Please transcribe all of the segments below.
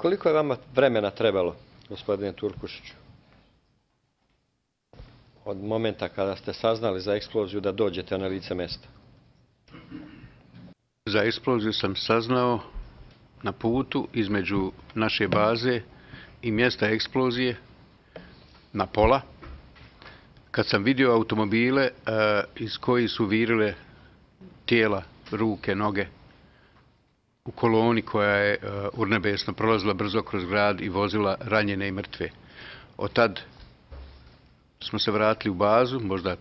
Koliko je vama vremena trebalo, gospodine Turkušiću, od momenta kada ste saznali za eksploziju da dođete na lice mesta? Za eksploziju sam saznao na putu između naše baze i mjesta eksplozije na pola, kad sam vidio automobile iz kojih su virile tijela, ruke, noge u koloni koja je urnebesno prolazila brzo kroz grad i vozila ranjene i mrtve. Od tad smo se vratili u bazu, možda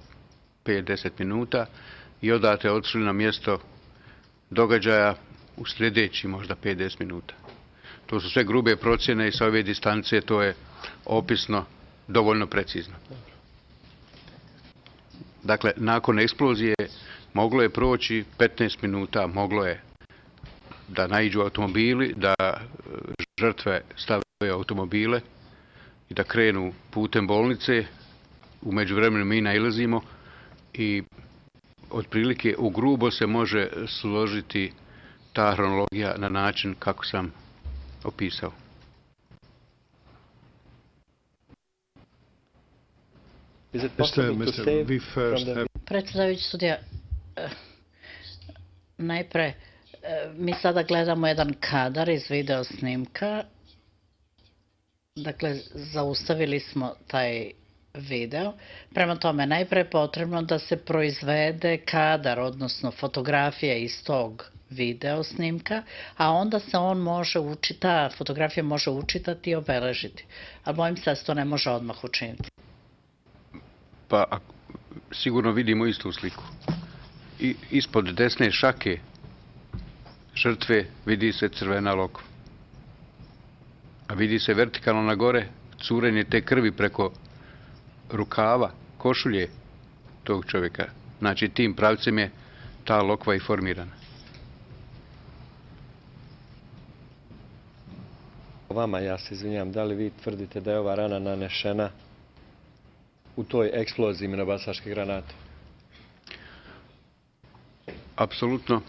5-10 minuta, i odatle otišli na mjesto događaja u sljedeći možda 5-10 minuta. To su sve grube procjene i sa ove distance to je opisno dovoljno precizno. Dakle, nakon eksplozije moglo je proći 15 minuta, moglo je da naiđu automobili, da žrtve stave automobile i da krenu putem bolnice. U međuvremenu mi nailazimo i otprilike u grubo se može složiti ta hronologija na način kako sam opisao. Predsjedavajući sudija, najpre mi sada gledamo jedan kadar iz video snimka. Dakle, zaustavili smo taj video. Prema tome, najpre je potrebno da se proizvede kadar, odnosno fotografija iz tog video snimka, a onda se on može ta fotografija može učitati i obeležiti. Ali bojim se da se to ne može odmah učiniti. Pa sigurno vidimo istu sliku. I ispod desne šake žrtve vidi se crvena lokva. A vidi se vertikalno na gore curenje te krvi preko rukava, košulje tog čovjeka. Znači, tim pravcem je ta lokva i formirana. Vama, ja se izvinjam, da li vi tvrdite da je ova rana nanešena u toj eksploziji minobacačke granate? Apsolutno